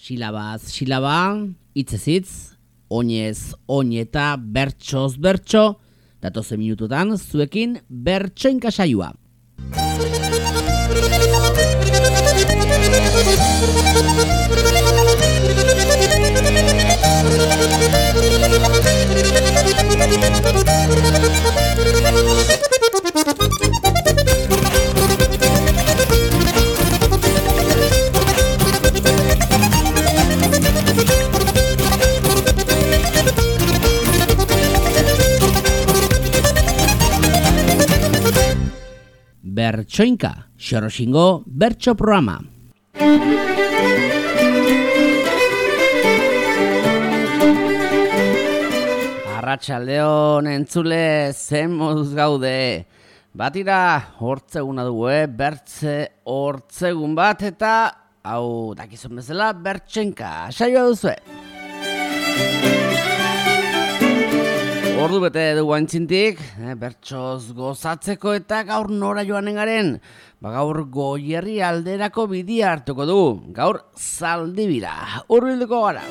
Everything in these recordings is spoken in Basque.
Silabaz silaba, hitzez hitz, oinez oineta, bertsoz bertso, datozen minututan zuekin bertsoinka saioa. Bertsoinka, Xoroxingo bertso programa. Arratsaldeon entzule, zen moduz gaude. Batira, hortzeguna dugu, bertze hortzegun bat, eta hau dakizun bezala bertsoinka saioa duzue. Ordu bete dugu antzintik, bertsoz gozatzeko eta gaur nora joanen garen. Gaur Goierri alderako bidia hartuko dugu, gaur Zaldibira, hurbilduko gara.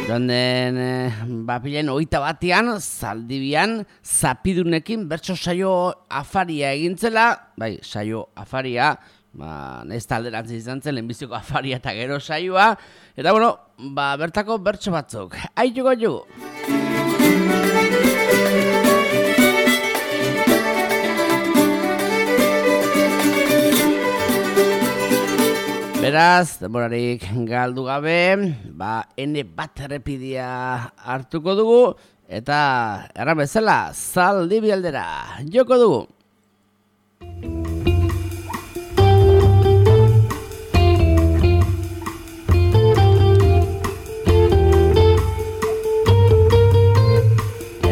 Joan den bapilen 21 Zaldibian zapidunekin bertso saio afaria egintzela, bai, saio afaria, ez talderantzen izan zen, lehenbiziko afaria eta gero saioa, eta bueno, bertako bertso batzuk, aituko jugu. Beraz, denborarik galdu gabe, ene bat errepidia hartuko dugu, eta erran bezala, Zaldibi aldera, joko dugu.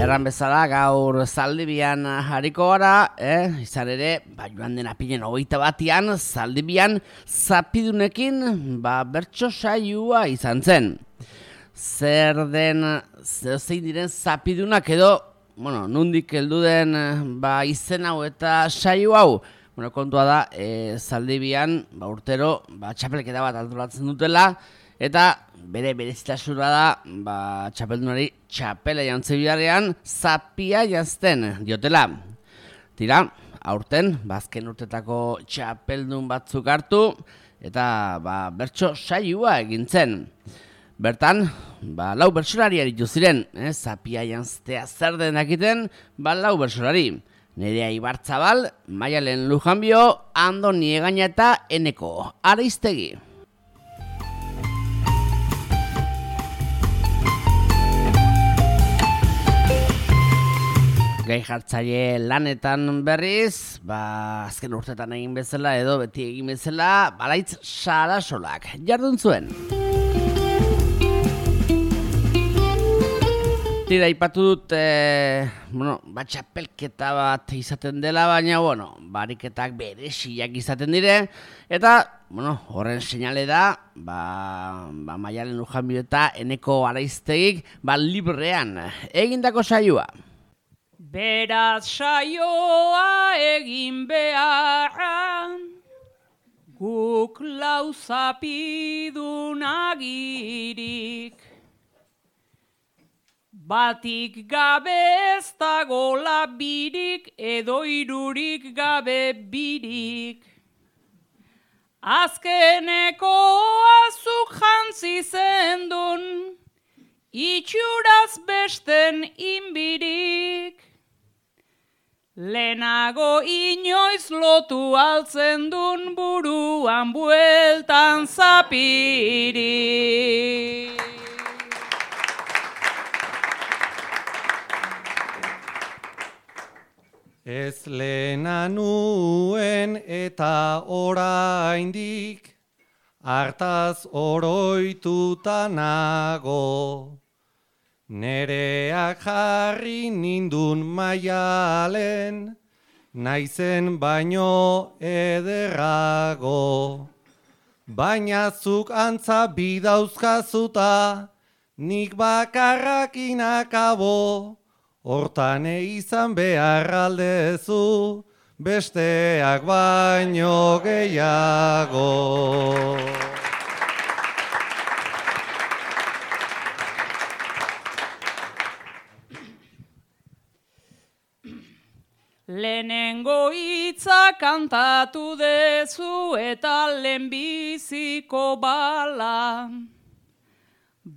Erran bezala gaur Zaldibian hariko gara, izan ere, joan den apilen 21 Zaldibian zapidunekin bertso saioa izan zen. Zein diren zapidunak edo, nondik heldu den izen hau eta saio hau. Kontua da, Zaldibian urtero txapelketa bat antolatzen dutela, eta bere berezitasuna da, txapeldunari txapela jantzi biharrean zapia jantzten diotela. Tira, aurten, azken urtetako txapeldun batzuk hartu, eta bertso saioa egintzen. Bertan, 4 bertsolari aritu ziren, zapia jantztea zer den dakiten, 4 bertsolari. Nerea Ibarzabal, Maialen Lujanbio, Andoni Egaña eta Eneko Ariztegi. Gai jartzaile lanetan berriz, azken urtetan egin bezala edo beti egin bezala, Balaitz Sarasolak jardun zuen. Tira, ipatu dut, txapelketa bat izaten dela, baina, bariketak beresiak izaten dire, eta, horren seinale da, Maialen Lujanbio eta Eneko Ariztegik, librean egindako saioa. Beraz saioa egin beharra, guk lau zapidun agirik. Batik gabe ez dagola birik, edo irurik gabe birik. Azkeneko azuk jantzi zendun, itxuraz besten inbirik. Lehenago inoiz lotu altzen dun buruan bueltan zapirik. Ez lehena nuen eta oraindik, hartaz oroituta nago. Nereak jarri nindun Maialen, naizen baino ederrago. Baina zuk antza bidauzkazuta, nik bakarrakin akabo. Hortan izan behar aldezu, besteak baino gehiago. Lehenengo hitza kantatu dezu eta lehenbiziko bala.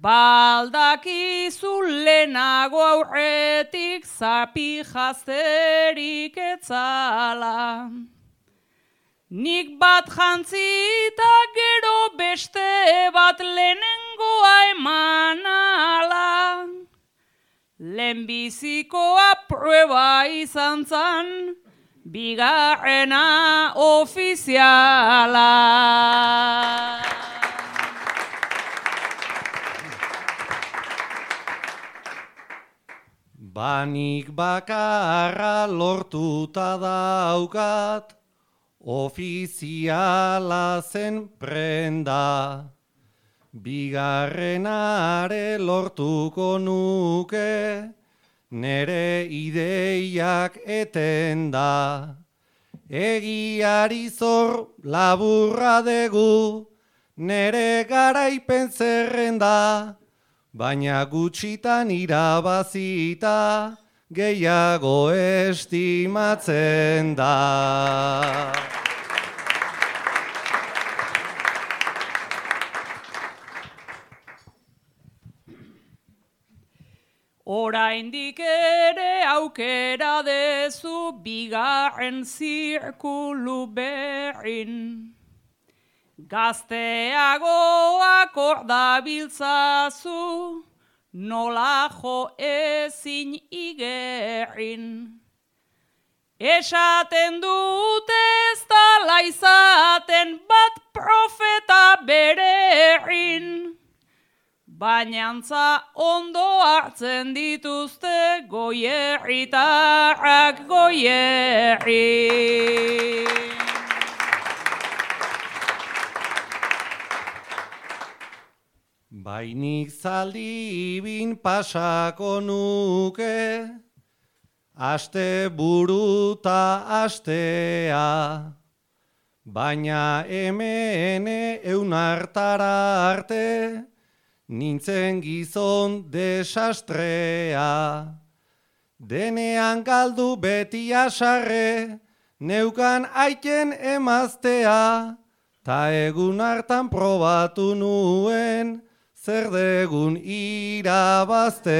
Baldakizu lehenago aurretik zapi jazterik etzala. Nik bat jantzita gero beste bat lehenengoa emanala. Lehenbizikoa prueba izan zan, bigarrena ofiziala. Banik bakarra lortuta daukat, ofiziala zen prenda. Bigarrenare lortuko nuke, nere ideiak etenda. Egiari zor laburra degu, nere garaipen zerrenda. Baina gutxitan irabazita, gehiago estimatzen da. Oraindik ere aukera dezu bigarren zirkulu berrin. Gazteagoak hor dabiltzazu, nola jo ezin igerrin. Esaten dute ez dala izaten bat profeta bererrin. Bainantza ondo hartzen dituzte goierritarrak goierri. Bainik zaldi bin pasako nuke, aste buruta astea. Baina hemen eunartara arte, nintzen gizon desastrea. Denean galdu beti asarre, neukan aiten emaztea, ta egun hartan probatu nuen, zer degun irabaztea.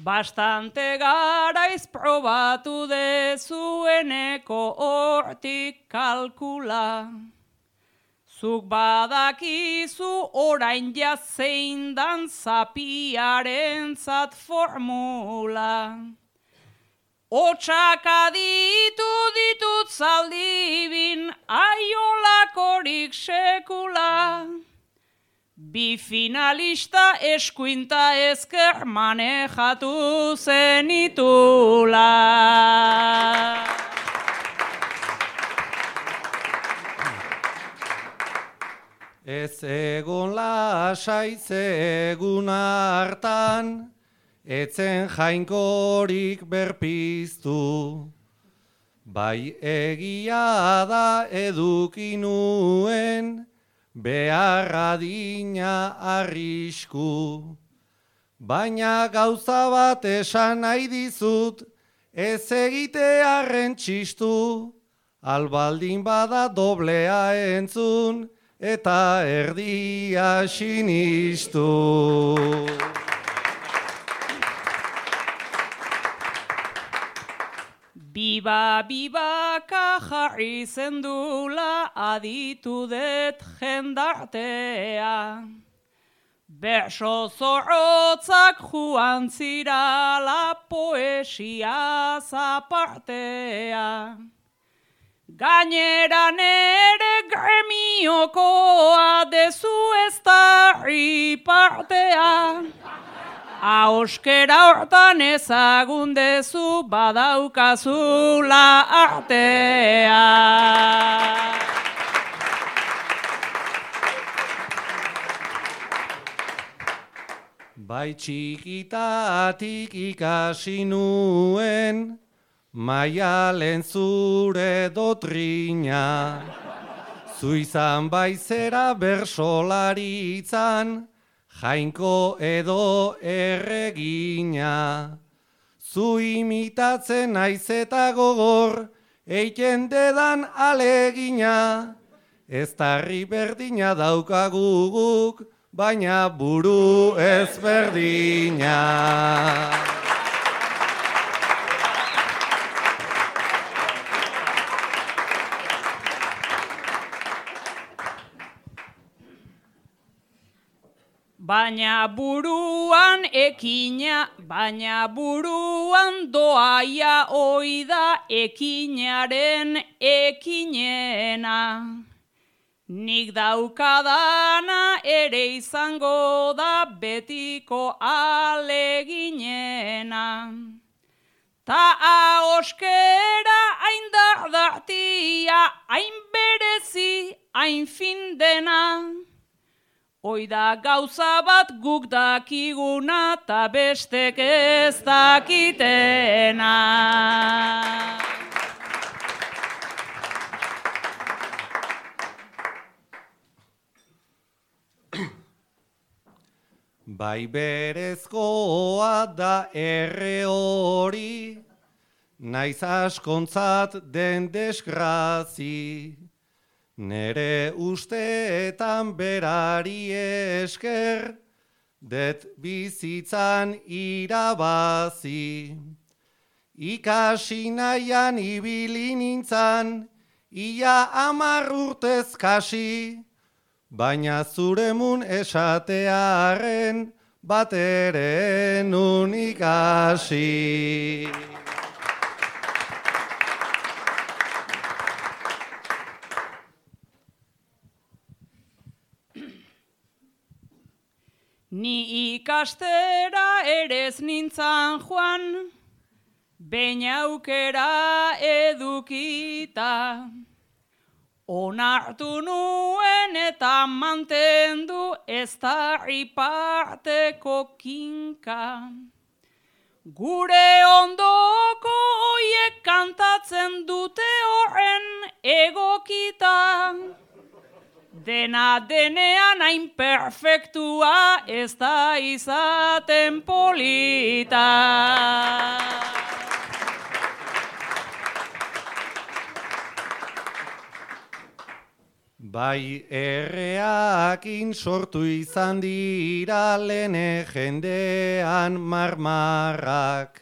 Bastante garaiz probatu dezueneko hortik kalkula. Zuk badakizu orain jazein dan zapiarentzat formula. Otsak aditu ditut zaldibin aiolakorik sekula. Bi finalista eskuinta ezker manejatu zenitula. Ez egon lasai ze egun hartan, etzen jainkorik berpiztu. Bai egia da eduki nuen, beharra dina arrisku. Baina gauza bat esan nahi dizut, ez egitearren txistu, albaldin bada doblea entzun, eta erdia sinistu. Bibaka jarri zendula aditu det jendartea. Berso zorrotzak joan zirala poesia zapartea. Gainera nere gremiokoa dezu ez da ripartea. Auskera hortan ezagun dezu badaukazula artea. Bai txikitatik ikasi nuen, Maialen zure dotrina. Zu izan baizera bersolaritzan, Jainko edo erregina. Zu imitatzen naiz eta gogor, eiten dedan alegina. Ez tarri berdina daukagu guk, baina buru ezberdina. Baina buruan ekina, baina buruan doaia oida ekinaren ekinena. Nik daukadana ere izango da betiko aleginena. Ta ahoskera hain dardatia, hain berezi, hain fin dena. Oida gauza bat guk dakiguna ta bestek ez dakitena. Bai berezkoa da erre hori, naiz askontzat den desgrazi. Nere usteetan berari esker, det bizitzan irabazi. Ikasi nahian ibili nintzan, ia 10 urtez kasi, baina zuremun esatearen bat ere nun ikasi. Ni ikastera erez nintzan joan, behin aukera edukita. Onartu nuen eta mantendu ez da iparteko kinka. Gure ondoko hoiek kantatzen dute horren egokita. Dena denean hain perfektua ez da izaten polita. Bai erreakin sortu izan dira lene jendean marmarrak,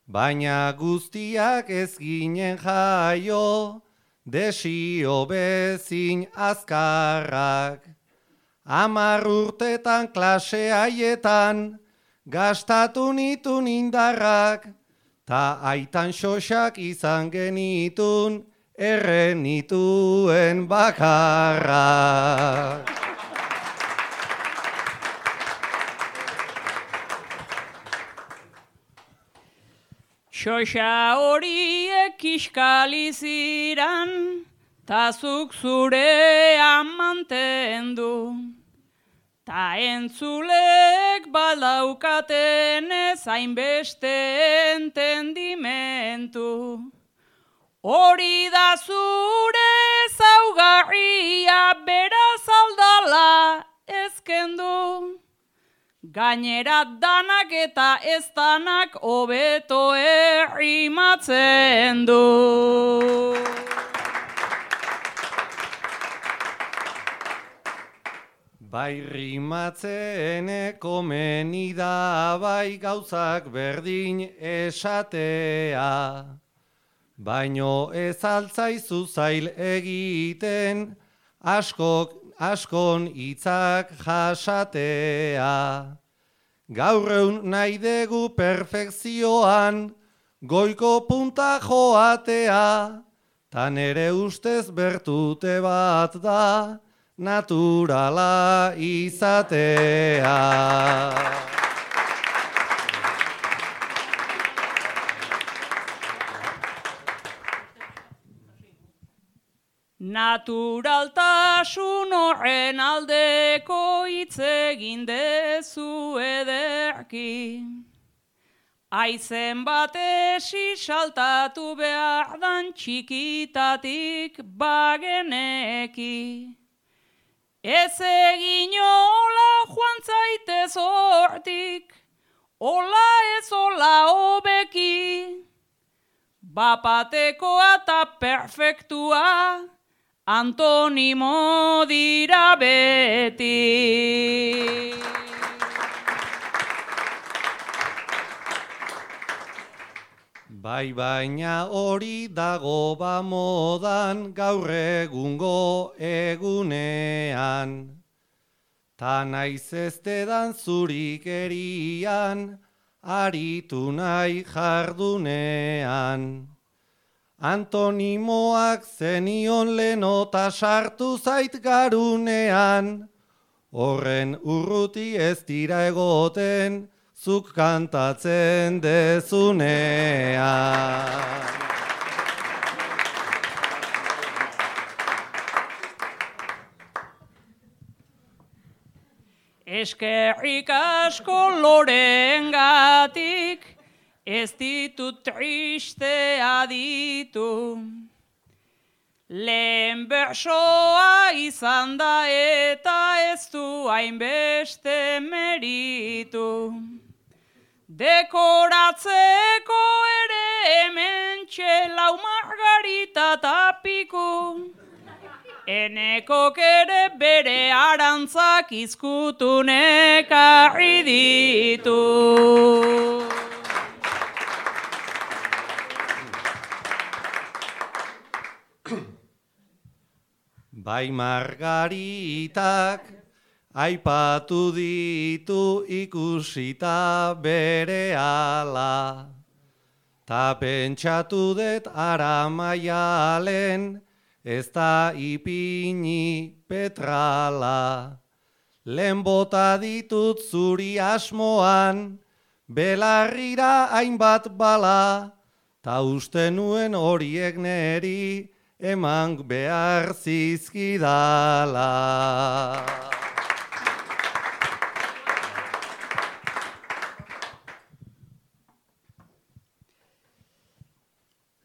baina guztiak ez ginen jaio, desio bezin azkarrak. 10 urtetan klase haietan, gastatu nitun indarrak, ta aitan xoxak izan genitun, erren nituen bakarrak. Xoxa horiek kiskali ziran, ta zuk zurean mantendu. Ta entzulek badaukaten ez hainbeste entendimentu. Hori da zure zaugarria beraz aldala ezkendu. Gainera danak eta ez danak hobeto errimatzen du. Bai rimatzen komeni da bai gauzak berdin esatea. Baino ez altzaizu zail egiten, askon hitzak jasatea. Gaur egun nahi dugu perfekzioan, goiko punta joatea, ta nere ustez bertute bat da, naturala izatea. Naturaltasun horren aldeko hitz egin dezu ederki. Aizen batesi saltatu behar dan txikitatik bageneki. Ez egin hola joan zaitez hortik, hola ez hola hobeki. Bapatekoa eta perfektua, antonimo dira beti. Bai baina hori dago ba modan gaur egungo egunean. Ta naiz ez dedan zurikerian, aritu nahi jardunean. Antonimoak zenion lenota sartu zait garunean, horren urruti ez dira egoten, zuk kantatzen dezunean. Eskerrik asko lorengatik, ez ditut tristea ditu. Lehen bersoa izan da eta ez du hainbeste meritu. Dekoratzeko ere hemen txelau margarita tapiku. Enekok ere bere arantzak izkutunek arri ditu. Bai margaritak aipatu ditu ikusita bere ala. Ta pentsatu dut ara maialen, ez da ipini petrala. Lehen bota ditut zuri asmoan, belarrira hainbat bala, ta uste nuen horiek neri eman behar zizkidala.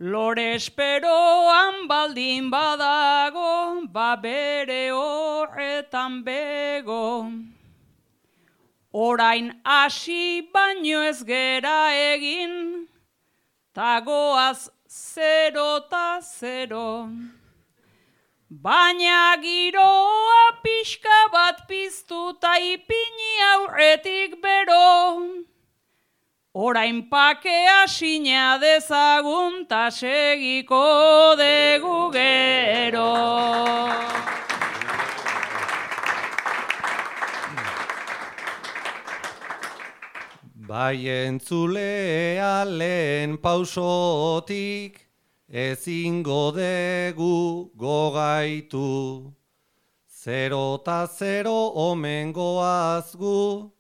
Lore esperoan baldin badago, ba bere horretan bego. Orain hasi baino ez gera egin, ta goaz 0 ta 0. Baina giroa pixka bat piztu ta ipini aurretik bero. Orain pakea sina dezagun ta segiko degu gero. Bai entzulea lehen pausotik, ezingo degu gogaitu. 0 ta 0 omen goazgu,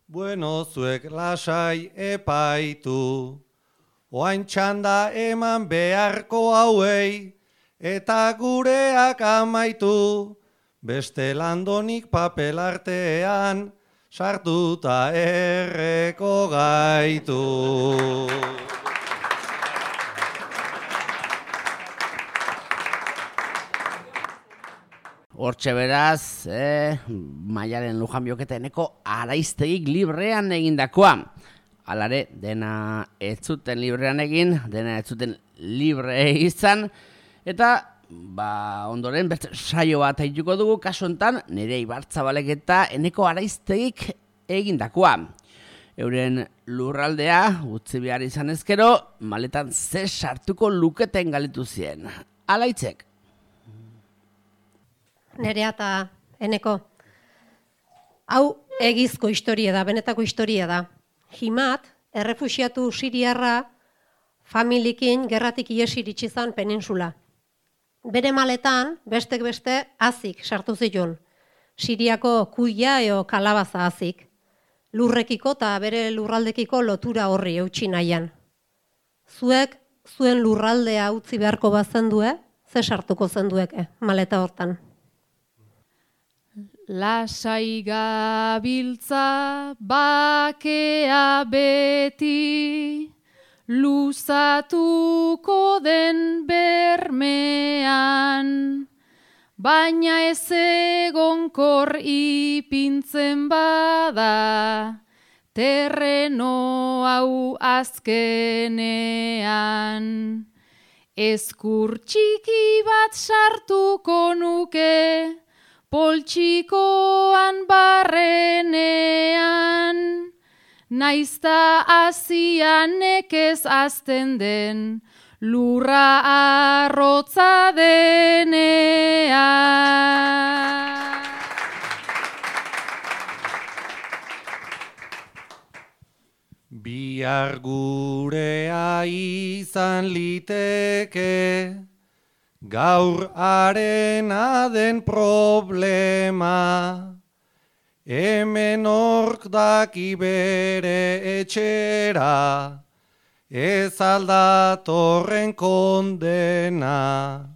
bueno zuek lasai epaitu. Oain txanda eman beharko hauei, eta gureak amaitu. Beste landonik papel artean, sartuta erreko gaitu. Hortxe beraz, Maialen Lujan Bioketa eneko Araiztegik librean egindakoa. Alare, dena ez zuten librean egin, dena ez zuten libre izan, eta ondoren beste saio bat aituko dugu, kasu hontan nire Ibartzabalek eta eneko Araiztegik egindakoa. Euren lurraldea utzi behar izan ezkero, maletan ze sartuko luketen galitu zien. Alaitzek. Nerea eta eneko. Hau egizko historia da, benetako historia da. Himat, errefuxiatu siriarra, familiekin gerratik iesiritsi zan peninsula. Bere maletan, bestek beste, azik sartu zituen. Siriako kuia eo kalabaza azik. Lurrekiko eta bere lurraldekiko lotura horri eutsi nahian. Zuek, zuen lurraldea utzi beharko bazendue, ze sartuko zendueke maleta hortan? Lasai gabiltza bakea beti, luzatuko den bermean, baina ez egonkor ipintzen bada, terreno hau azkenean. Ezkur txiki bat sartuko nuke, poltsikoan barrenean, naizta azian nekez azten den, lurra arrotza denean. Bihar gurea izan liteke, gaur arena den problema, hemen ork daki bere etxera, ez aldatorren kondena.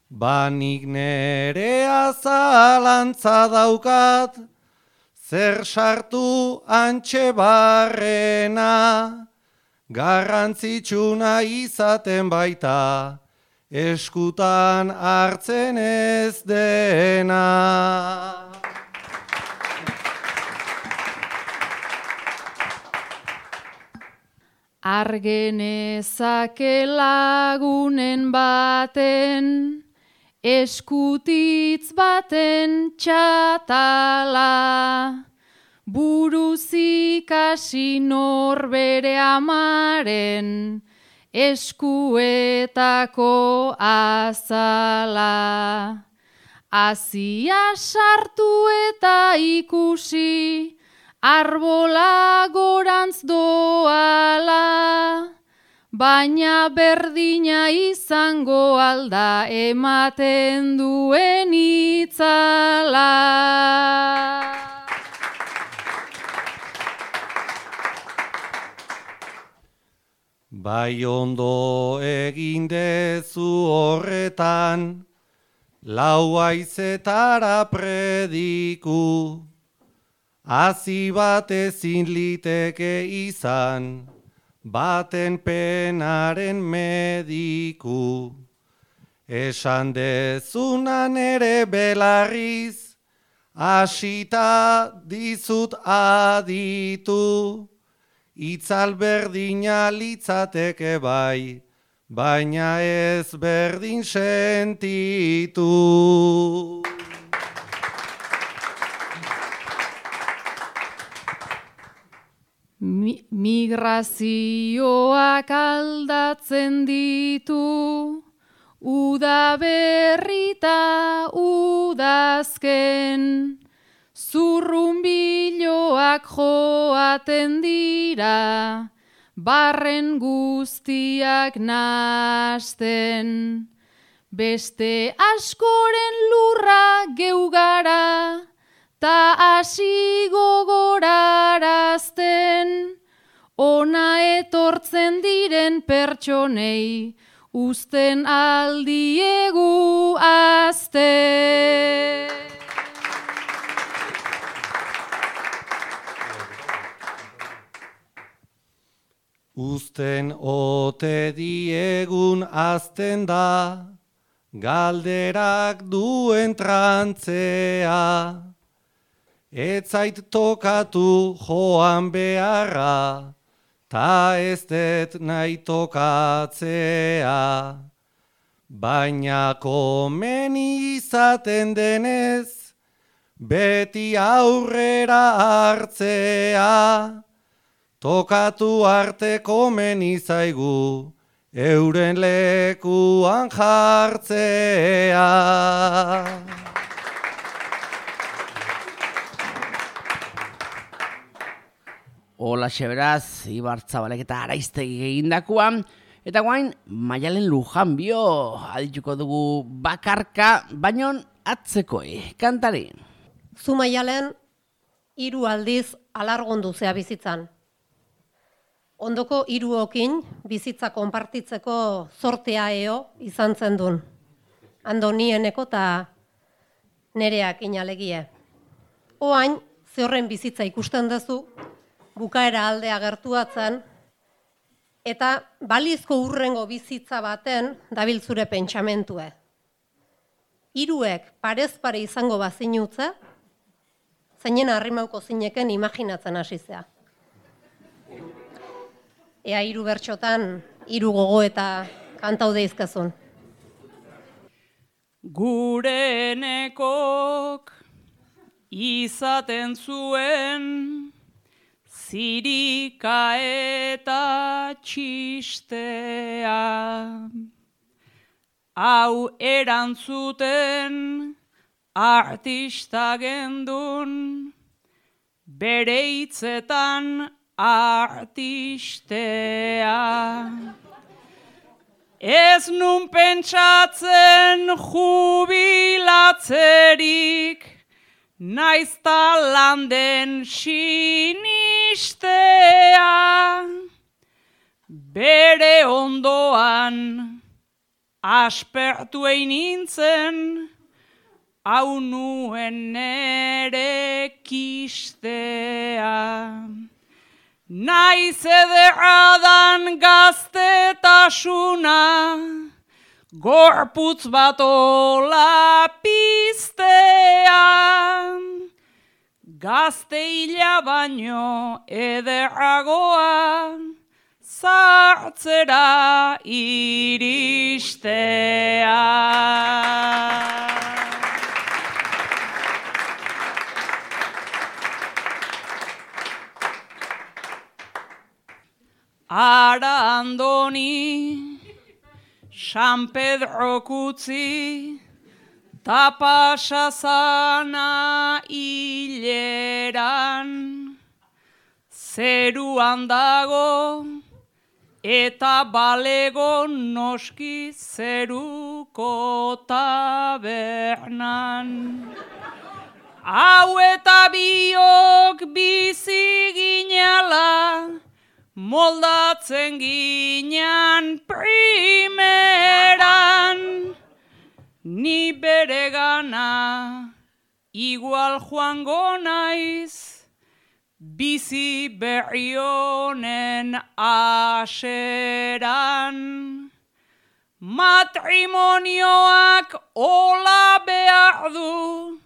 Banik nerea zalantza daukat, zer sartu antxe barrena, garrantzitsuna izaten baita, eskutan hartzen ez dena. Argenezake lagunen baten, eskutitz baten txatala, buruz ikasi norbere amaren, eskuetako azala. Azia sartu eta ikusi, arbola gorantz doala, baina berdina izango alda ematen duen itzala. Bai ondo egin dezu horretan, lau haizetara prediku, hazi bat ezin liteke izan, baten penaren mediku. Esan dezunan ere belarriz, hasita dizut aditu, itzal berdina litzateke bai, baina ez berdin sentitu. Migrazioak aldatzen ditu, uda berrita udazken, zurrunbiloak joaten dira, barren guztiak nasten. Beste askoren lurra geugara, ta hasi gogorarazten, ona etortzen diren pertsonei, uzten aldiegu azte. Uzten ote diegun azten da, galderak duen trantzea. Ez zait tokatu joan beharra, ta ez det nahi tokatzea. Baina komeni izaten denez, beti aurrera hartzea. Tokatu arte komeni zaigu, euren lekuan jartzea. Hola beraz, Ibar Zabalek eta Araiztegi egindakoa, eta guain Maialen Lujanbio adituko dugu bakarka, baino atzekoi, kantari. Zu Maialen 3 aldiz alargondu zea bizitzan. Ondoko 3 bizitza konpartitzeko zortea izan zen dun. Andonieneko eta nereak inalegie. Oain, ze horren bizitza ikusten duzu, bukaera aldea gertuatzen, eta balizko urrengo bizitza baten dabil zure pentsamentue. Hiruek parez pare izango bazinutze, zeinen arrimauko zineken imaginatzen hasizea. Ea 3 bertxotan, 3 gogo eta kantaude izkazun. Gure nekok izaten zuen zirika eta txistea. Hau erantzuten artista gendun, bere hitzetan artistea. Ez nun pentsatzen jubilatzerik, naizta landen sinistea. Bere ondoan aspertu egin nintzen, hau nuen nere kistea. Naiz ederradan gaztetasuna, gorputz bat ola piztea. Gazte hila baino ederragoa, zartzera iristea. Ara Andoni, San Pedro kutzi, ta pasazana hileran, zeruan dago, eta balego noski zeruko tabernan. Hau eta biok bizi ginala, moldatzen ginean primeran. Ni bere gana igual joango naiz, bizi berri honen aseran. Matrimonioak ola behar du,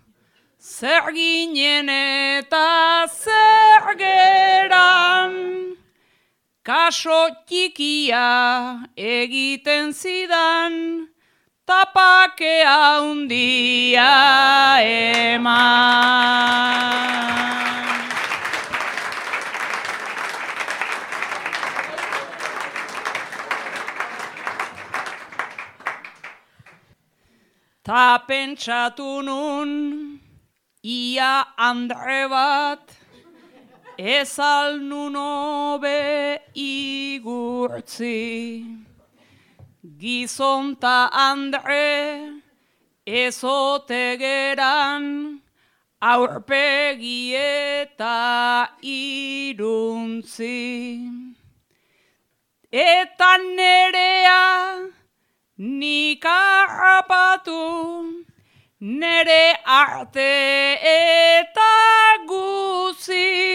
zer ginen eta zer geran. Kaso txikia egiten zidan, tapakea hundia eman. Ta pentsatu nun, ia andre bat, ez al nun hobe igurtzi. Gizon ta andre ezote geran, aurpegi eta iruntzi. Eta nerea nik harrapatu, nere arte eta guzi.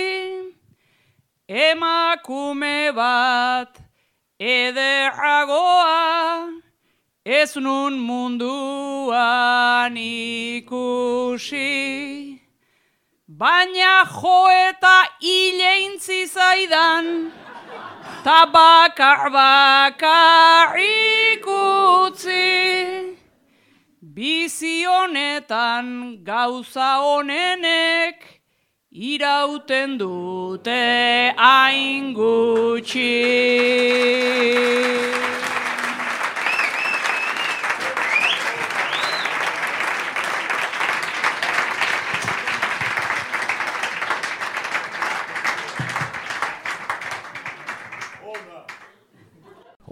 Emakume bat ederragoa, ez nun munduan ikusi. Baina jo eta hileintzi zaidan, ta bakar ikutzi. Bizi honetan gauza honenek, irauten dute hain gutxi.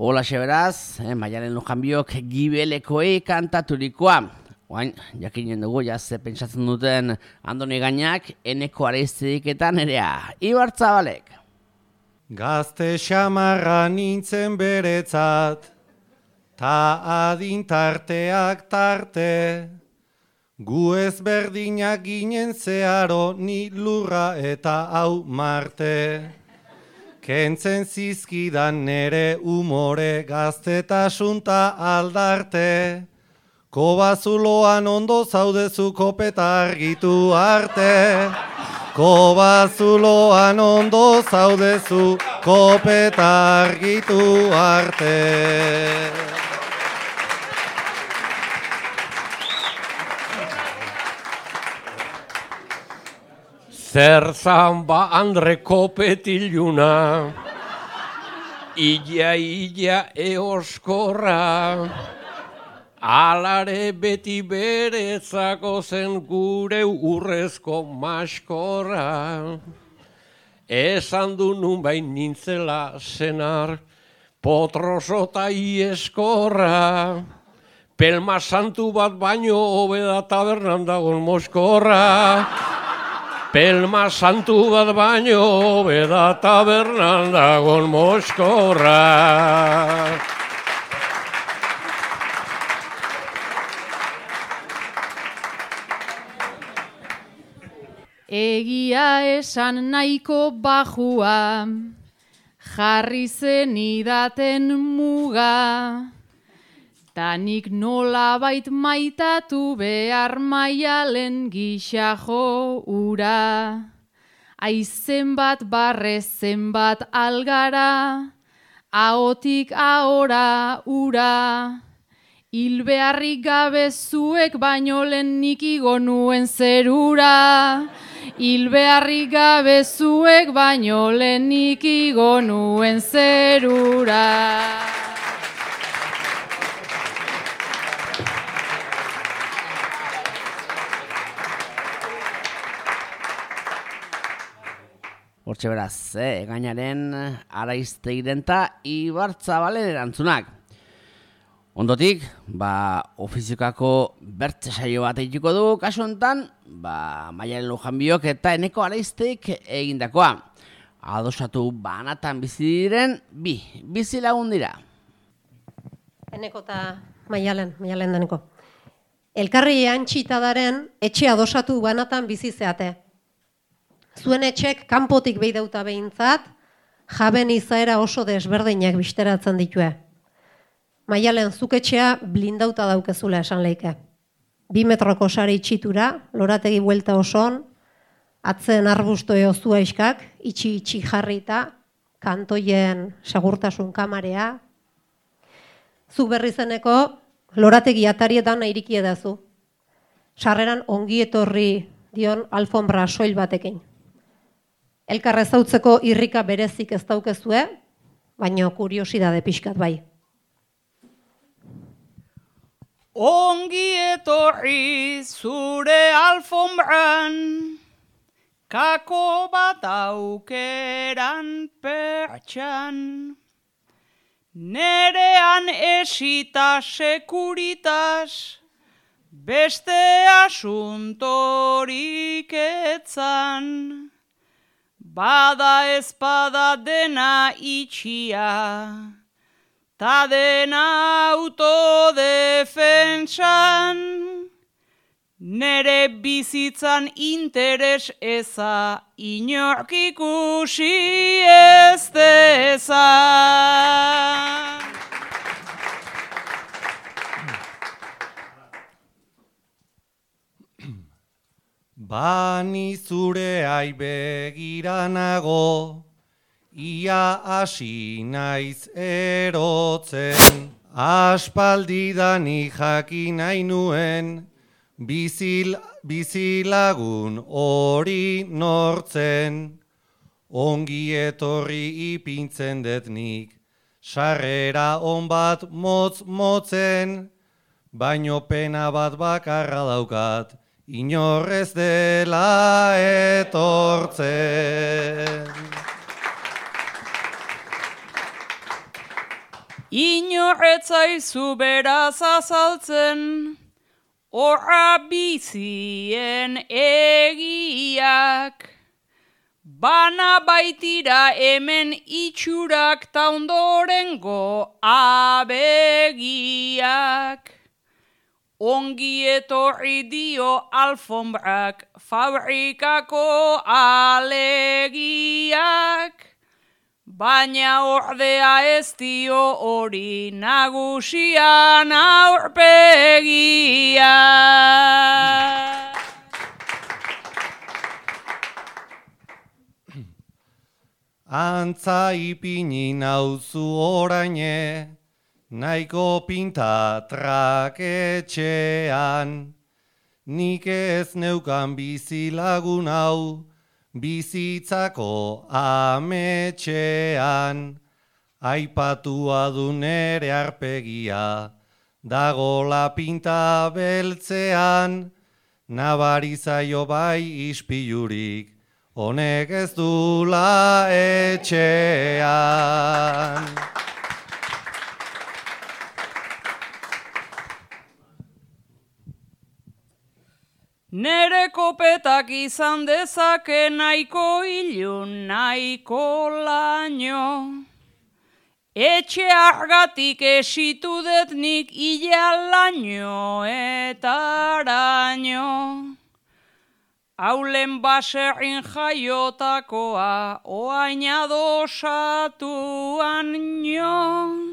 Hola beraz, Maialen Lujanbiok gibelekoei kantaturikoa. Oain, jakinen dugu, ze pentsatzen duten Andoni Gainak, Eneko Areiztiketan erea. Ibar Zabalek. Gazte xamarra nintzen beretzat, ta adintarteak tarte, gu ezberdinak ginen zeharo ni lurra eta hau Marte. Kentzen zizkidan nere umore gaztetasunta aldarte, kobazuloan ondo zaudezu kopeta argitu arte. Kobazuloan ondo zaudezu kopeta argitu arte. Zer zan ba Andre kopetiluna, illa eoskorra, alare beti berezako zen gure urrezko maskorra. Esan du nun bain nintzela senar, potrosota ieskorra, pelma santu bat baino hobeda tabernan dagon moskorra. Pelma santu bat baino beda tabernan dagon moskorra. Egia esan nahiko bajua, jarri zen idaten muga. Tanik nolabait maitatu behar Maialen gisa jo ura. Aizen bat barre zenbat algara, ahotik ahora ura. Hil beharrik gabe zuek baino lehen nik igo nuen zerura. Hil beharrik gabe zuek baino lehen nik igo nuen zerura. Hortxe beraz, gainaren Araizteiren eta Ibarzabalen erantzunak. Ondotik, ofiziokako bertze saio bat egituko du, kasu honetan, Maialen Lujanbiok eta Eneko Araizteik egindakoa. Adosatu banatan bizi diren bizi lagun dira. Eneko eta Maialen deneko. Elkarri antxitadaren etxe adosatu banatan bizi zeate. Zuen etxek kanpotik beidauta behintzat, jaben izaera oso desberdinak bisteratzen ditue. Maialen zuk etxea blindauta daukezula esan leike. 2 metroko sari itxitura, lorategi buelta osoan, atzen arbusto eozua iskak, itxi jarrita, kantoien segurtasun kamarea. Zuk berri zeneko, lorategi atarietan iriki edazu. Sarreran ongi etorri dion alfombra soil batekin. Elkar ezautzeko irrika berezik ez daukezue, baina kuriosidade pixkat bai. Ongi etorri zure alfombran, kako bat aukeran pertxan. Nerean esita sekuritas, beste asuntorik etzan. Bada ezpada dena itxia, ta dena autodefentsan. Nere bizitzan interes eza, inork ikusi ez dezan. Bani zure aibegiranago, ia hasi naiz erotzen. Aspaldidani jakin nahi nuen, bizilagun hori nortzen. Ongi etorri ipintzen dut nik, sarrera on bat motzen, baino pena bat bakarra daukat, inorrez dela etortzen. Inorretzaizu beraz azaltzen, horra bizien egiak, bana baitira hemen itxurak ta ondorengo abegiak. Ongi etorri dio alfombrak fabrikako alegiak. Baina ordea ez dio hori nagusian aurpegia. Antza ipini nauzu oraine, nahiko pinta traketxean. Nik ez neukan bizilagun hau, bizitzako ametxean. Aipatua du nere arpegia, dagola pinta beltzean. Nabarizaio bai ispilurik, honek ez dula etxean. Nere kopetak izan dezake nahiko ilun, nahiko laino. Etxe argatik esitu dut nik ilalaino eta araino. Haulen baserrin jaiotakoa, oain adosatuan nio.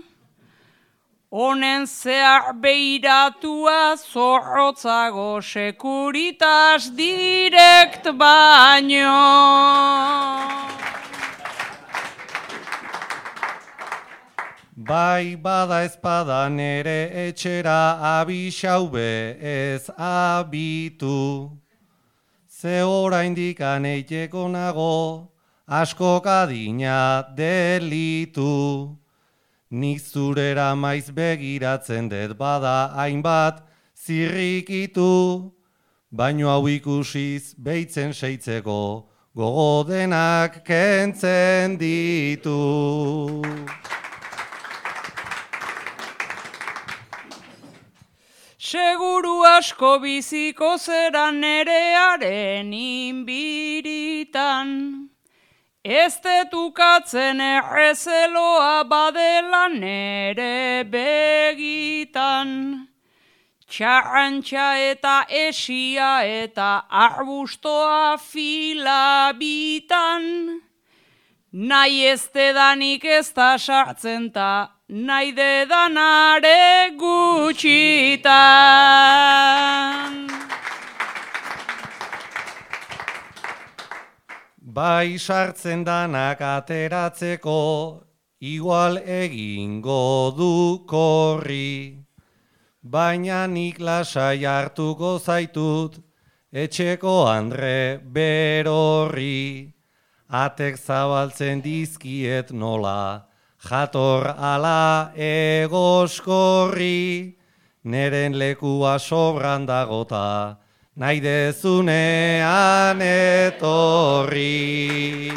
Honen zehar beiratua zorrotzago Securitas Direct baino. Bai bada ezpada nere etxera abixaube ez abitu. Ze oraindik aneiteko nago, asko kadina delitu. Nik zurera maiz begiratzen dut bada hainbat zirrikitu, baino hau ikusiz beitzen seitzeko gogo denak kentzen ditu. Seguru asko biziko zera nerearen inbiritan. Ez detukatzen errezeloa badela nere begitan. Txarrantxa eta esia eta arbustoa filabitan. Nahi ez dedanik ez da sartzen ta, nahi dedanare gutxitan. Bai sartzen danak ateratzeko, igual egingo du korri. Baina nik lasai hartuko zaitut, etxeko andre berorri. Atek zabaltzen dizkiet nola, jator ala egoskorri. Neren lekua sobran dagota, nahi dezunean etorri.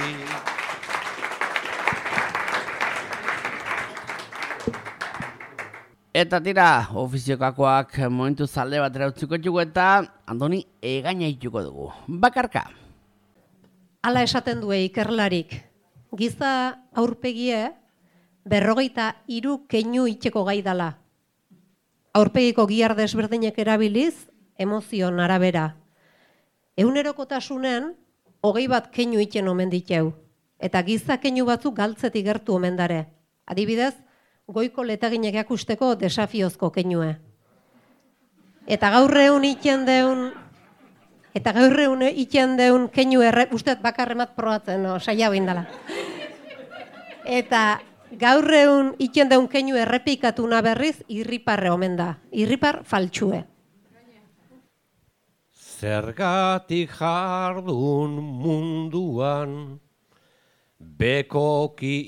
Eta tira, ofiziokakoak momentu zalde batera utziko dugu eta Andoni egaina ituko dugu. Bakarka. Hala esaten du ikerlarik. Giza aurpegie 53 keinu itxeko gai dala. Aurpegiko gihar desberdinek erabiliz, emozion arabera. Egunerokotasunen 21 keinu itxen omen diteu. Eta giza keinu batzuk galtzetik gertu omen dare. Adibidez, goiko letaginek jakusteko desafiozko keinue. Eta gaur egun itxen deun keinu usteet bakarremat probatzen, no, saia bindala. Eta gaur egun itxen deun keinu errepikatuna berriz irriparre omen da. Irripar faltsue. Zergatik jardun munduan, bekoki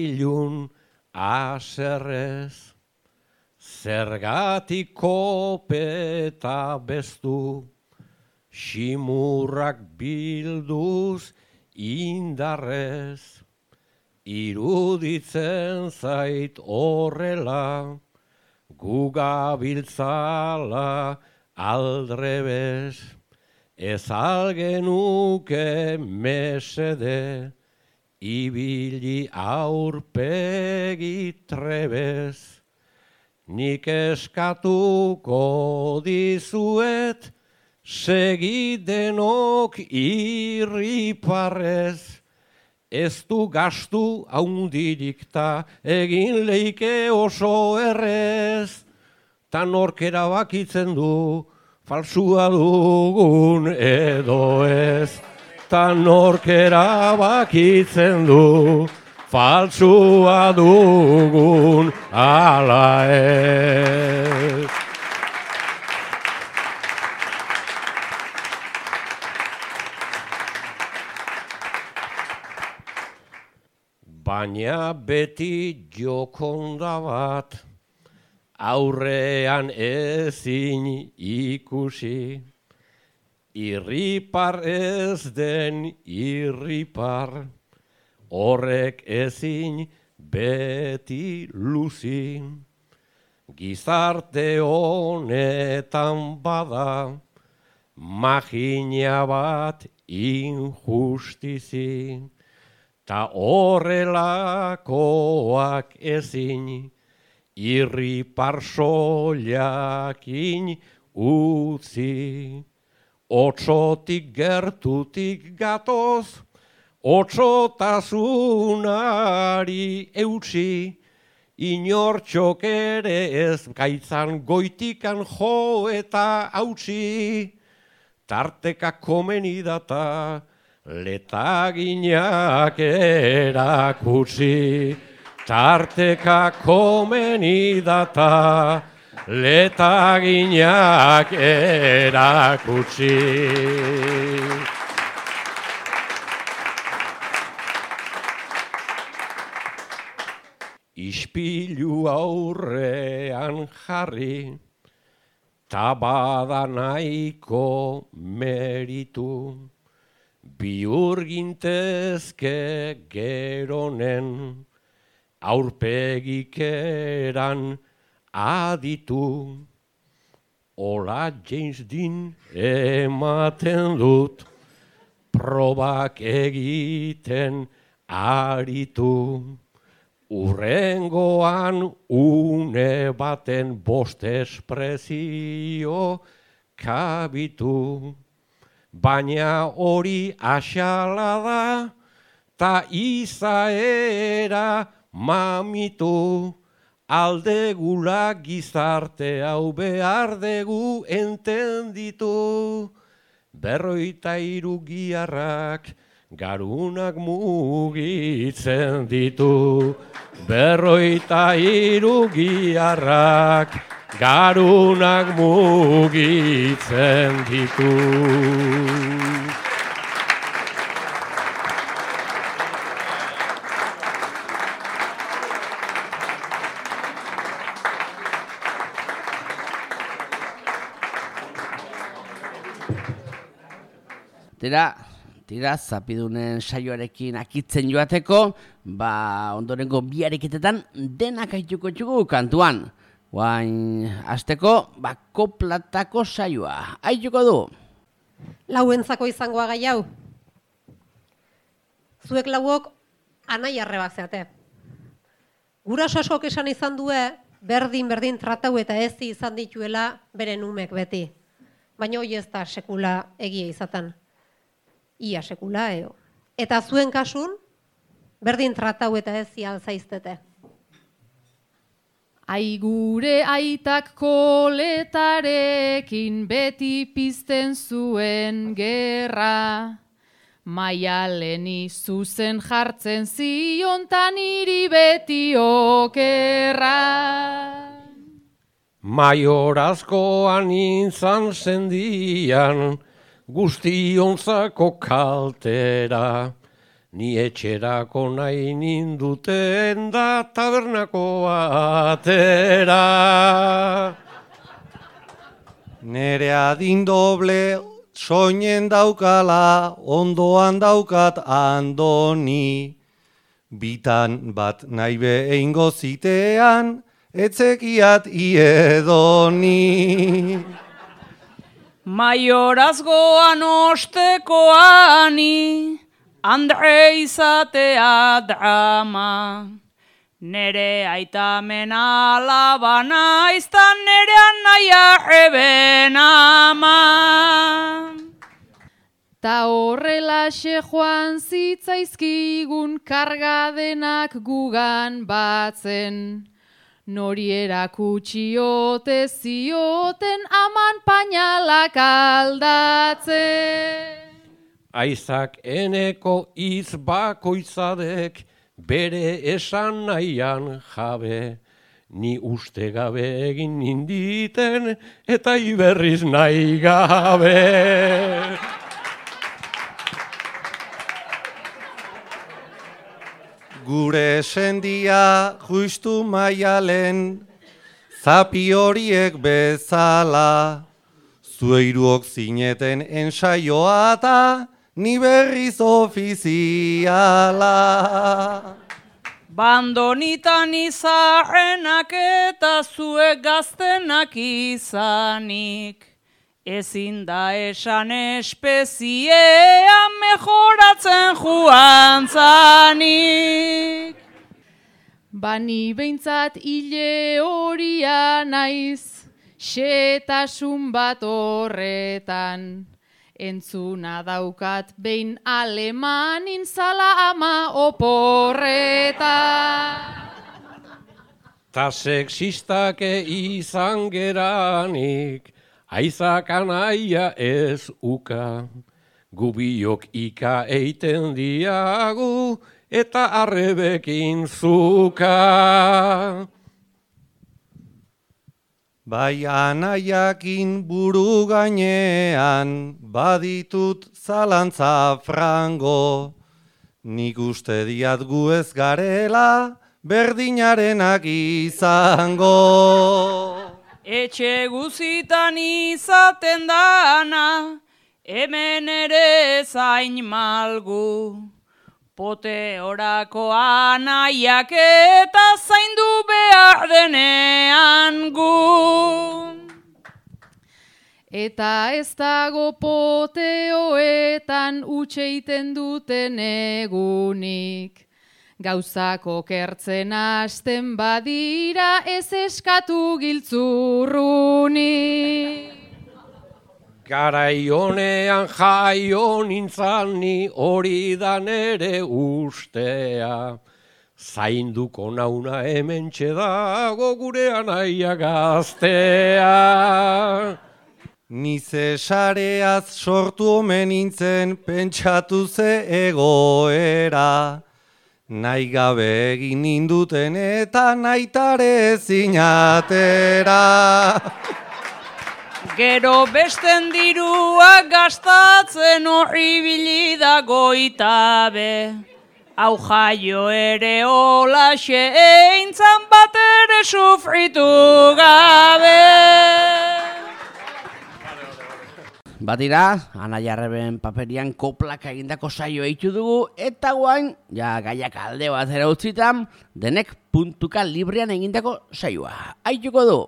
ilun aserrez, zergatik kopeta bestu, ximurrak bilduz indarrez, iruditzen zait horrela, gugabiltzala aldrebez, ez algenuke mesede, ibili aurpegi trebez. Nik eskatuko dizuet, segidenok irriparrez. Ez du gastu haundirik ta egin leike oso errez. Ta nork erabakitzen du, falsua dugun edo ez. Ta nork erabakitzen du, falsua dugun ala ez. Baina beti jokonda bat, aurrean ezin ikusi, irripar ez den irripar, horrek ezin beti luzi. Gizarte honetan bada, magina bat injustizi, ta horrelakoak ezin, irripar soilakin utzi. Otsotik gertutik gatoz, otsotasunari eutsi, inortxok ere ez gaitzan goitikan jo eta hautsi. Tarteka komeni data, letaginak erakutsi. Tarteka komeni data, letaginak erakutsi. Ispilu aurrean jarri, ta bada nahiko meritu, bihur gintezke geronen, aurpegik eran aditu. Ola James Dean ematen dut, probak egiten aritu. Urrengoan une baten bost espresio kabitu. Baina hori axala da, ta izaera mamitu. Aldegula gizarte hau behar dugu entenditu. 53 giharrak garunak mugitzen ditu. 53 giharrak garunak mugitzen ditu. Tira, zapidunen saioarekin akitzen joateko, ondorengo bi ariketetan denak aituko txugu kantuan. Guain, azteko, koplatako saioa. Aituko du? Lauentzako izangoa gai hau. Zuek lauok anai arrebak zeate. Guraso askok esan izan due, berdin tratau eta ezi izan dituela beren umek beti. Baina hoi ez da sekula egia izaten. Ia sekula, eo. Eta zuen kasun, berdin tratau eta ezi alzaiztete. Ai gure aitak koletarekin beti pizten zuen gerra. Maialeni zuzen jartzen ziontan iri beti okerra. Maiorazkoan intzan zendian, guztionzako kaltera, ni etxerako nahi ninduten da tabernako atera. Nere adin doble soinen daukala, ondoan daukat andoni. Bitan bat nahi behingo zitean, etzekiat iedoni. Maiorazgoan ostekoani, Andre izatea drama. Nere aitamen alabana, iztan nerean naia eben ama. Ta horrelaxe joan zitzaizkigun kargadenak gugan batzen. Nori erakutsi ote zioten aman painalak aldatzen. Aizak eneko iz bakoitzadek bere esan nahian jabe. Ni uste gabe egin ninditen eta iberriz nahi gabe. Gure sendia justu maialen, zapi horiek bezala. Zueiruok zineten ensaioa eta ni berriz ofiziala. Bandonitan izarrenak eta zuek gaztenak izanik. Ezin da esan espeziea mejoratzen joan zanik. Bani behintzat hile horia naiz, xetasun bat horretan. Entzuna daukat behin alemanin zala ama oporretan. Ta sexistake izan geranik, aizak anaia ez uka. Gubiok ika eiten diagu eta arrebekin zuka. Bai anaiakin buru gainean, baditut zalantza frango. Nik uste diat gu ez garela, berdinarenak izango. Etxe guzitan izaten dana, hemen ere zain malgu. Pote orako anaiak eta zaindu behar denean gu. Eta ez dago poteoetan utxeiten duten egunik. Gauzak okertzen hasten badira ez eskatu giltzurrunik. Garai honean jaio nintzan ni hori da nere ustea. Zainduko nauna hementxe dago gure anaia gaztea. Ni ze sareaz sortu omen nintzen pentsatu ze egoera. Nahi gabe egin ninduten eta nahitare zinatera. Gero besten diruak gastatzen horribili da goitabe. Hau jaio ere holaxe eintzan bat ere sufritu gabe. Badira, Anaia Arreben paperian koplaka egindako saio eitu dugu, eta guain, ja gaiak alde bat zera utzitan, denek puntuka librean egindako saioa. Aituko du!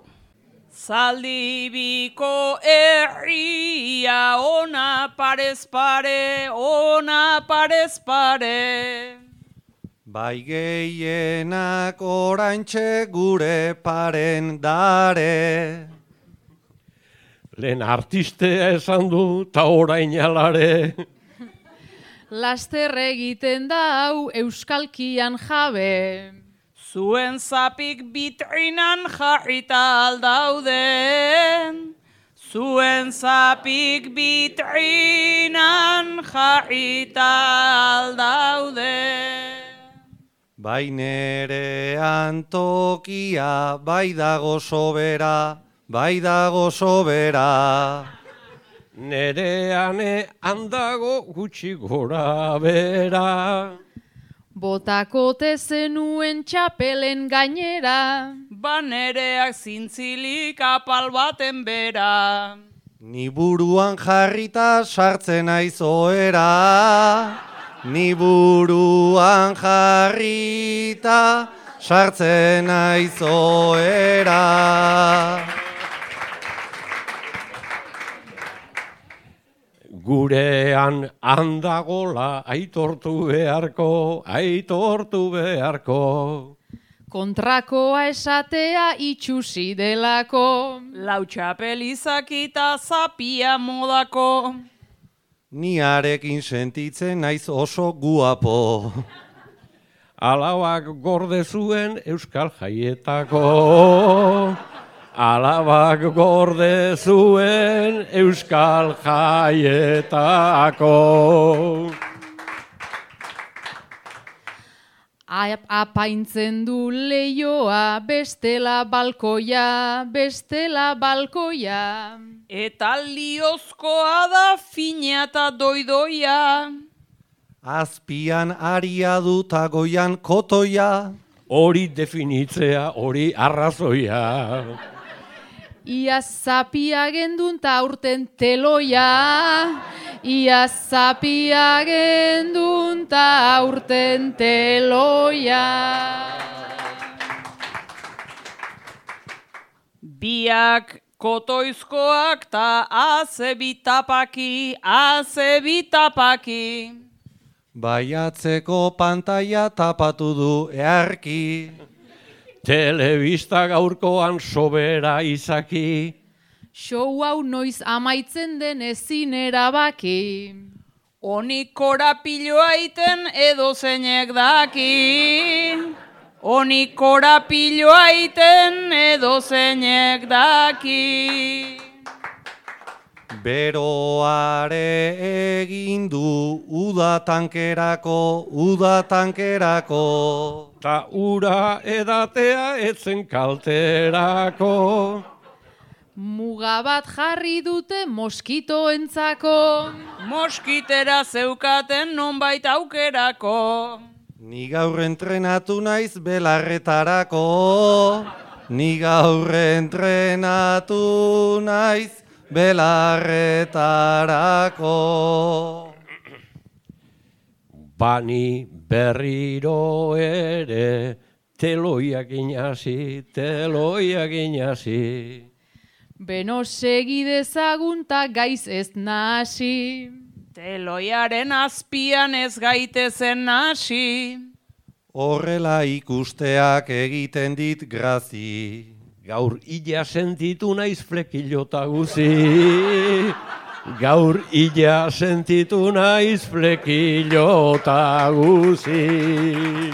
Zaldibiko herria ona parez pare, ona parez pare. Bai gehienak oraintxe gure paren dare. Lehen artistea esan du ta orain alare. Laster egiten da hau euskalkian jabe. Zuen zapik bitrinan jarrita aldauden. Zuen zapik bitrinan jarrita aldauden. Bai nerean tokia, bai dago sobera, bai dago sobera. Nereane handago gutxi gora bera. Botakote zenuen txapelen gainera. Banereak zintzilik apal baten bera. Ni buruan jarrita sartzen naiz ohera. Ni buruan jarrita sartzen naiz ohera. Gurean handagola aitortu beharko, aitortu beharko. Kontrakoa esatea itxusi delako. Lau txapel izakita zapia modako. Ni harekin sentitzen naiz oso guapo. Alabak gorde zuen euskal jaietako. Alabak gorde zuen euskal jaietako. Apaintzen du leioa, bestela balkoia, bestela balkoia. Eta liozkoa da fina eta doidoia. Azpian aria duta goian kotoia. Hori definitzea, hori arrazoia. Ia zapia gendun ta aurten teloia. Ia zapia gendun ta aurten teloia. Biak kotoizkoak ta azebitapaki, azebitapaki. Baiatzeko pantaia tapatu du earki. Telebista gaurkoan sobera izaki. Show hau noiz amaitzen den ezin erabaki. Honi korapiloa iten edo zeinek daki. Honi korapiloa iten edo zeinek daki. Beroare egin du uda tankerako. Ta ura edatea etzen kalterako. Muga bat jarri dute moskitoentzako. Moskitera zeukaten nonbait aukerako. Ni gaur entrenatu naiz belarretarako. Ni gaur entrenatu naiz belarretarako. Bani berriro ere, teloiak inasi, teloiak inasi. Beno segi dezagun ta gaiz ez nahasi. Teloiaren azpian ez gaitezen hasi. Horrela ikusteak egiten dit grazi. Gaur illa sentitu naiz flekilota guzi. Gaur illa sentitu naiz flekilota guzi.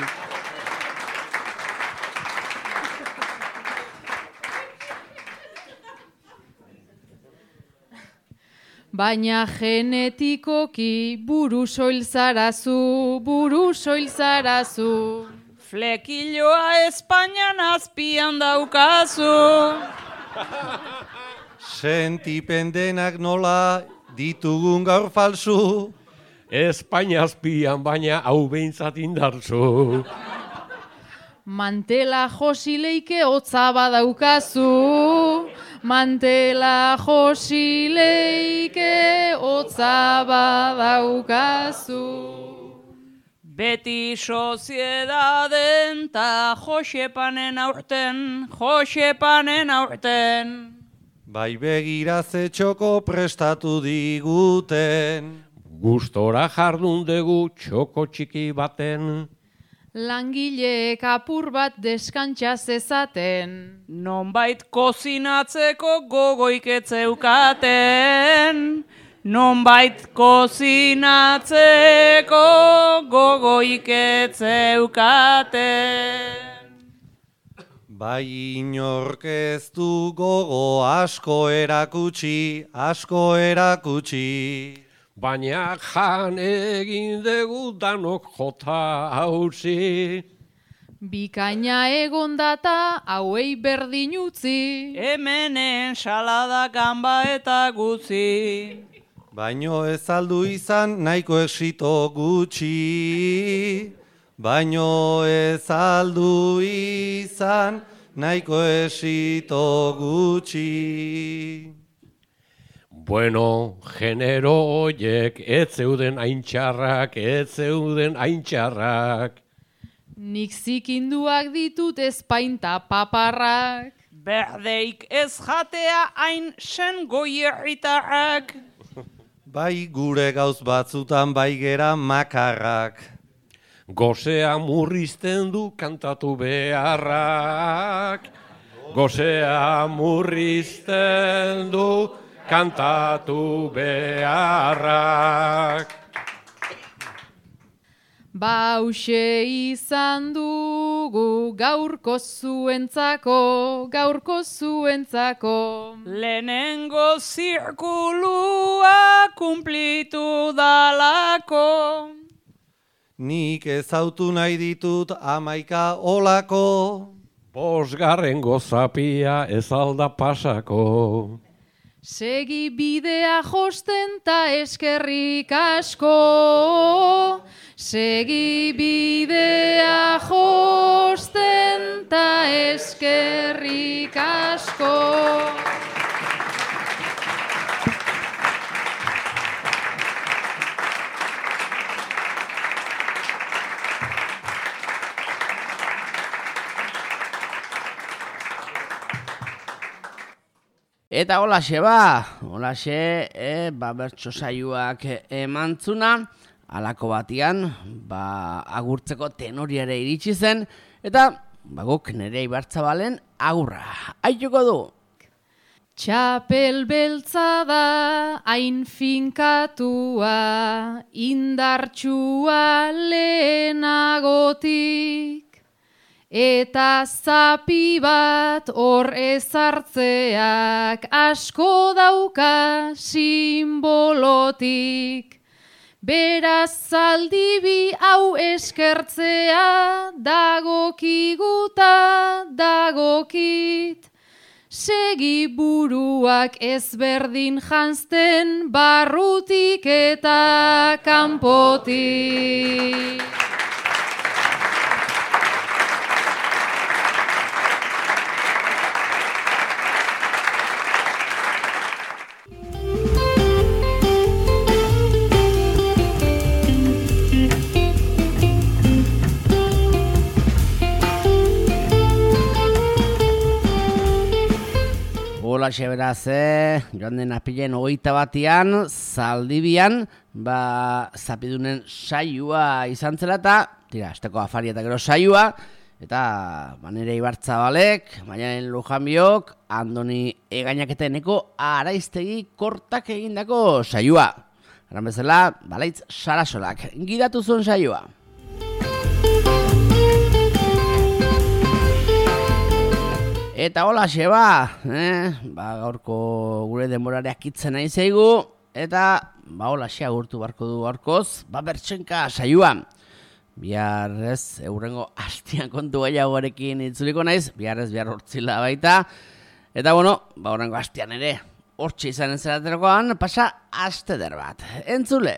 Baina genetikoki buru soil zarazu, buru soil zarazu. Flekiloa Espainian azpian daukazu. Sentipendenak nola ditugun gaur falsu. Espainia azpian baina hau behintzat indartzu. Mantela josileike hotza badaukazu. Mantela josileike hotza badaukazu. Beti soziedaden ta Josepanen aurten, Josepanen aurten. Bai begira ze txoko prestatu diguten. Gustora jardun dugu txoko txiki baten. Langileek apur bat deskantza zezaten. Nonbait kozinatzeko gogoik etzeukaten. Nonbait kozinatzeko gogoik etzeukaten. Bai inork ez du gogo asko erakutsi, asko erakutsi. Baina jan egin dugu danok jota hauzi. Bikaina egon data hauei berdin utzi. Hemenen salada gamba eta gutzi. Baino ez aldu izan nahiko exito gutxi. Baino ez aldu izan nahiko exito gutxi. Bueno, genero hoiek ez zeuden haintxarrak, ez zeuden haintxarrak. Nik zikinduak ditut ezpainta paparrak. Berdeik ez jatea hain sen goierritarrak. bai gure gauz batzutan bai gera makarrak. Gozea murrizten du kantatu beharrak. Gozea murrizten du kantatu beharrak. Hauxe izan dugu gaurko zuentzako, Lehenengo zirkulua kumplitu dalako. Nik ezautu nahi ditut 11 olako. 5. zapia ez alda pasako. Segi bidea josten ta eskerrik asko. Segi bidea josten ta eskerrik asko. Eta holaxe bertso saioak emantzuna, halako batian, agurtzeko tenoriare iritsi zen, eta guk Nerea Ibarzabalen agurra. Aituko du! Txapel beltza da, hain finkatua, indartsua lehenagotik. Eta zapi bat hor ezartzeak asko dauka simbolotik. Beraz zaldibi hau eskertzea dagokiguta dagokit. Segi buruak ezberdin janzten barrutik eta kanpotik. Holaxe beraz, joan den apilen 21 Zaldibian, zapidunen saioa izan zela eta, asteko afaria eta gero saioa, eta Nerea Ibarzabalek, Maialen Lujanbiok, Andoni Egainaketeneko Araiztegi Kortak egindako saioa. Eran bezala, Balaitz Sarasolak gidatu zuen saioa. Eta holaxe gaurko gure denborareak itzen nahi zaigu, eta holaxe agurtu barko du gaurkoz, bertsenka saioa. Bihar eurrengo hastian kontu gehiagoarekin itzuliko naiz, bihar hortzila baita. Eta horrengo hastian ere, hortxe izan zeraterokoan, pasa aste der bat. Entzule!